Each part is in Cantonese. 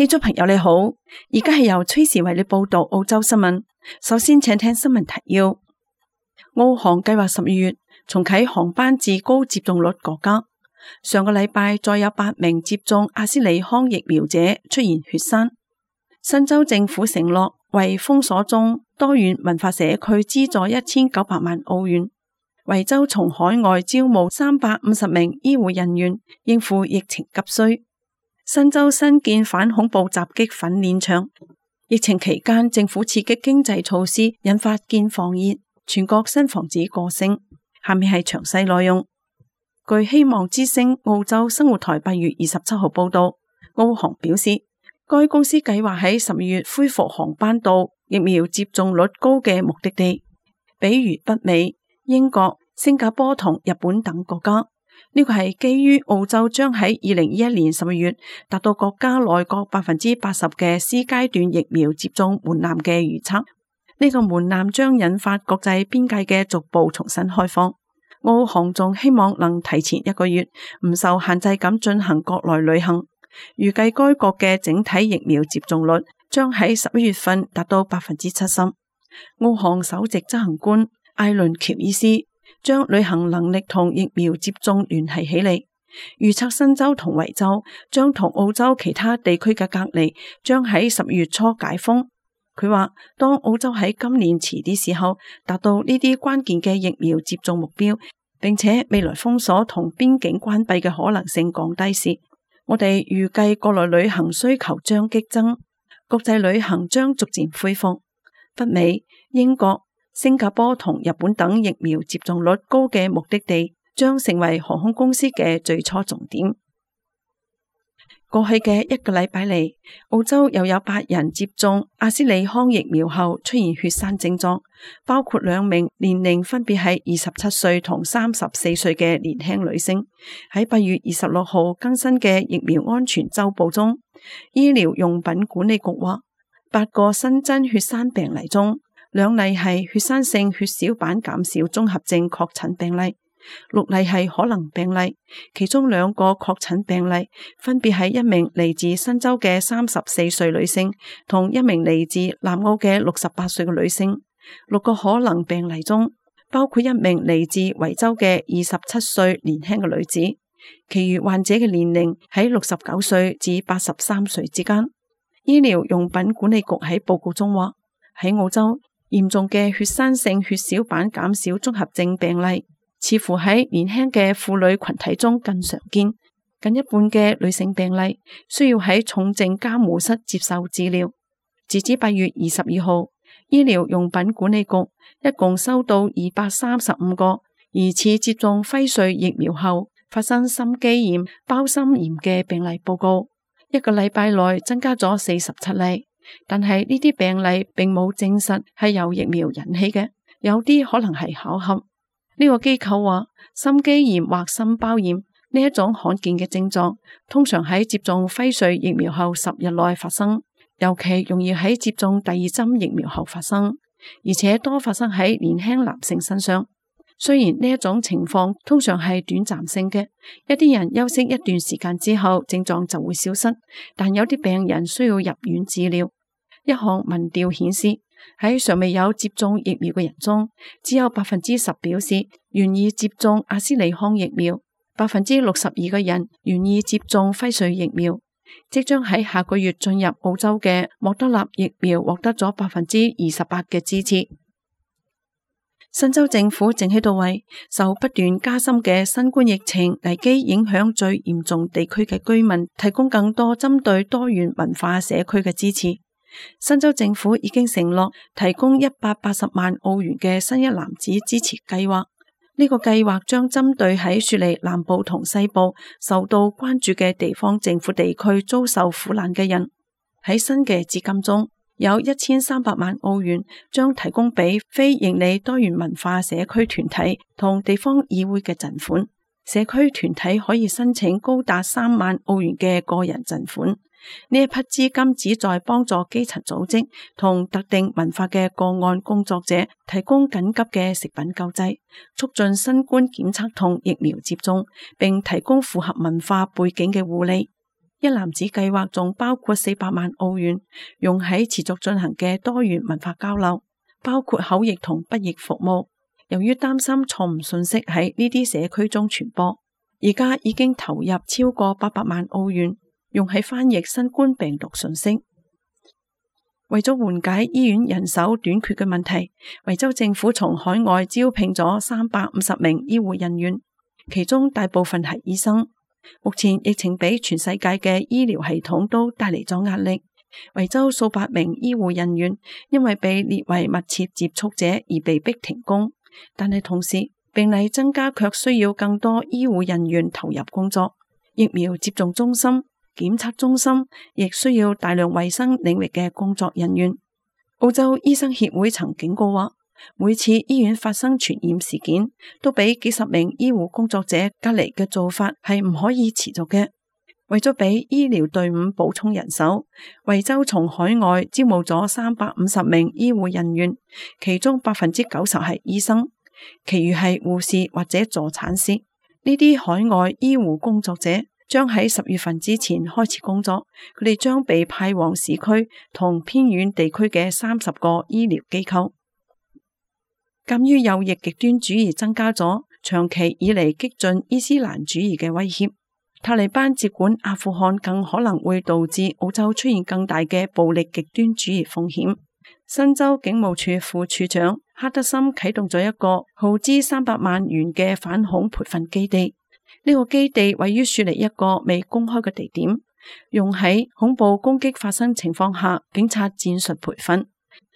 聽眾朋友你好，而家係由崔時為你報道澳洲新聞。首先請聽新聞提要。澳航計劃12月重啟航班至高接種率國家。上個禮拜再有8名接種阿斯利康疫苗者出現血栓。新州政府承諾為封鎖中多元文化社區資助1900萬澳元。維州從海外招募350名醫護人員應付疫情急需。新州新建反恐怖襲擊訓練場。疫情期間政府刺激經濟措施引發建房熱，全國新房子過剩。下面係詳細內容。據希望之聲澳洲生活台8月27號報道，澳航表示該公司計劃喺12月恢復航班到疫苗接種率高嘅目的地，比如北美、英國、新加坡同日本等國家。呢個係基於澳洲將喺2021年12月達到國家內各 80% 嘅 C 階段疫苗接種門檻嘅預測。呢個門檻將引發國際邊界嘅逐步重新開放。澳航仲希望能提前1個月唔受限制咁進行國內旅行。預計該國嘅整體疫苗接種率將喺11月份達到 70%。澳航首席執行官艾倫喬伊斯將旅行能力同疫苗接種聯繫起嚟，預測新州同維州將同澳洲其他地區嘅隔離將喺12月初解封。佢話當澳洲喺今年遲啲時候達到呢啲關鍵嘅疫苗接種目標，並且未來封鎖同邊境關閉嘅可能性降低時，我哋預計國內旅行需求將激增，國際旅行將逐漸恢復。北美、英國、新加坡同日本等疫苗接種率高嘅目的地將成為航空公司嘅最初重點。過去嘅1個禮拜嚟，澳洲又有8人接種阿斯利康疫苗後出現血栓症狀，包括2名年齡分別係27歲同34歲嘅年輕女性。喺8月26號更新嘅疫苗安全週報中，醫療用品管理局話8個新增血栓病例中，2例係血栓性血小板減少綜合症確診病例，6例係可能病例，其中2個確診病例分別係1名嚟自新州嘅34歲女性同1名嚟自南澳嘅68歲嘅女性。6個可能病例中包括1名嚟自維州嘅27歲年輕嘅女子，其餘患者嘅年齡喺69歲至83歲之間。醫療用品管理局喺報告中話，喺澳洲嚴重嘅血栓性血小板減少綜合症病例似乎喺年輕嘅婦女群體中更常見，近1半嘅女性病例需要喺重症監護室接受治療。截至8月22號，醫療用品管理局一共收到235個疑似接種輝瑞疫苗後發生心肌炎、胞心炎嘅病例報告。1個禮拜內增加咗47例，但係呢啲病例並冇證實係由疫苗引起嘅，有啲可能係巧合。呢個機構話，心肌炎或心包炎呢一種罕見嘅症狀，通常喺接種輝瑞疫苗後10日內發生，尤其容易喺接種第2針疫苗後發生，而且多發生喺年輕男性身上。雖然呢一種情況通常係短暫性嘅，一啲人休息一段時間之後症狀就會消失，但有啲病人需要入院治療。一項民調顯示，喺尚未有接種疫苗嘅人中，只有 10% 表示願意接種阿斯利康疫苗， 62% 嘅人願意接種輝瑞疫苗。即將喺下個月進入澳洲嘅莫德納疫苗獲得咗 28% 嘅支持。新州政府正喺度為受不斷加深嘅新冠疫情危機影響最嚴重地區嘅居民提供更多針對多元文化社區嘅支持。新州政府已經承諾提供180萬澳元嘅新一籃子支持計劃。呢個計劃將針對喺雪梨南部同西部受到關注嘅地方政府地區遭受苦難嘅人。喺新嘅資金中，有1300萬澳元將提供俾非營利多元文化社區團體同地方議會嘅贈款。社區團體可以申請高達3萬澳元嘅個人贈款。呢一批資金旨在幫助基層組織同特定文化嘅個案工作者提供緊急嘅食品救濟，促進新冠檢測同疫苗接種，並提供符合文化背景嘅護理。一籃子計劃仲包括400萬澳元，用喺持續進行嘅多元文化交流，包括口譯同筆譯服務。由於擔心錯誤信息喺呢啲社區中傳播，而家已經投入超過800萬澳元，用喺翻譯新冠病毒信息。為咗緩解醫院人手短缺嘅問題，維州政府從海外招聘咗350名醫護人員，其中大部分係醫生。目前疫情俾全世界嘅醫療系統都帶嚟咗壓力，維州數百名醫護人員因為被列為密切接觸者而被迫停工，但係同時病例增加卻需要更多醫護人員投入工作。疫苗接種中心、檢測中心亦需要大量衛生領域嘅工作人員。澳洲醫生協會曾警告話，每次醫院發生傳染事件，都俾幾十名醫護工作者隔離嘅做法係唔可以持續嘅。為咗俾醫療隊伍補充人手，維州從海外招募咗350名醫護人員，其中90%係醫生，其餘係護士或者助產師。呢啲海外醫護工作者將喺10月份之前開始工作，佢哋將被派往市區同偏遠地區嘅30個醫療機構。鑒於右翼極端主義增加咗，長期以嚟激進伊斯蘭主義嘅威脅，塔利班接管阿富汗更可能會導致澳洲出現更大嘅暴力極端主義風險。新州警務處副處長哈德森啟動咗一個耗資300萬元嘅反恐培訓基地，呢個基地位於雪梨一個未公開嘅地點，用喺恐怖攻擊發生情況下警察戰術培訓。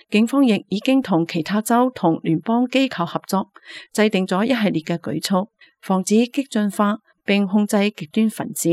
警方亦已經同其他州同聯邦機構合作，制定咗一系列嘅舉措，防止激進化並控制極端分子。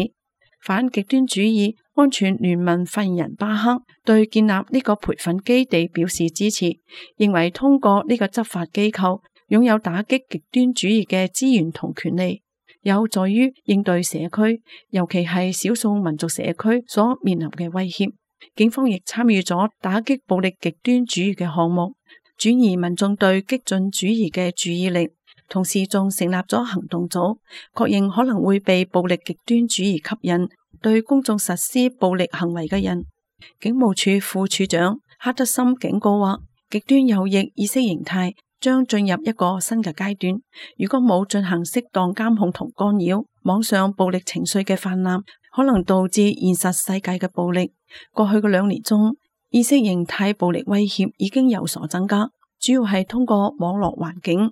反極端主義安全聯盟發言人巴克對建立呢個培訓基地表示支持，認為通過呢個執法機構擁有打擊極端主義嘅資源同權利，有助於應對社區，尤其係少數民族社區所面臨嘅威脅。警方亦參與咗打擊暴力極端主義嘅項目，轉移民眾對激進主義嘅注意力，同時仲成立咗行動組，確認可能會被暴力極端主義吸引，對公眾實施暴力行為嘅人。警務處副處長哈德森警告話，極端右翼意識形態將進入一個新嘅階段，如果冇進行適當監控同干擾，網上暴力情緒嘅泛濫可能導致現實世界嘅暴力。過去嘅2年中，意識形態暴力威脅已經有所增加，主要係通過網絡環境。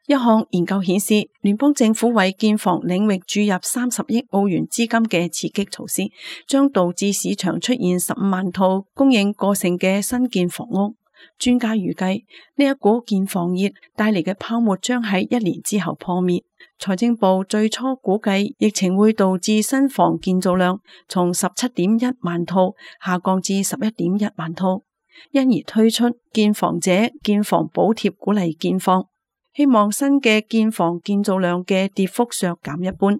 一項研究顯示，聯邦政府為建房領域注入30億澳元資金嘅刺激措施，將導致市場出現15萬套供應過剩嘅新建房屋。專家預計呢一股建房熱帶嚟嘅泡沫將喺1年之後破滅。財政部最初估計疫情會導致新房建造量從17.1萬套下降至11.1萬套，因而推出建房者建房補貼鼓勵建房，希望新嘅建房建造量嘅跌幅削減一半。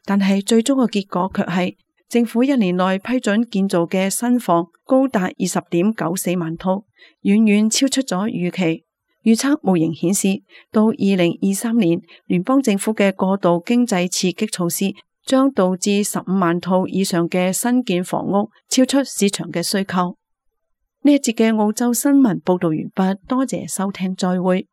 但係最終嘅結果卻係政府1年內批准建造嘅新房高達20.94萬套，遠遠超出咗預期。預測模型顯示，到2023年，聯邦政府嘅過度經濟刺激措施將導致15萬套以上嘅新建房屋超出市場嘅需求。呢一節嘅澳洲新聞報道完畢，多謝收聽，再會。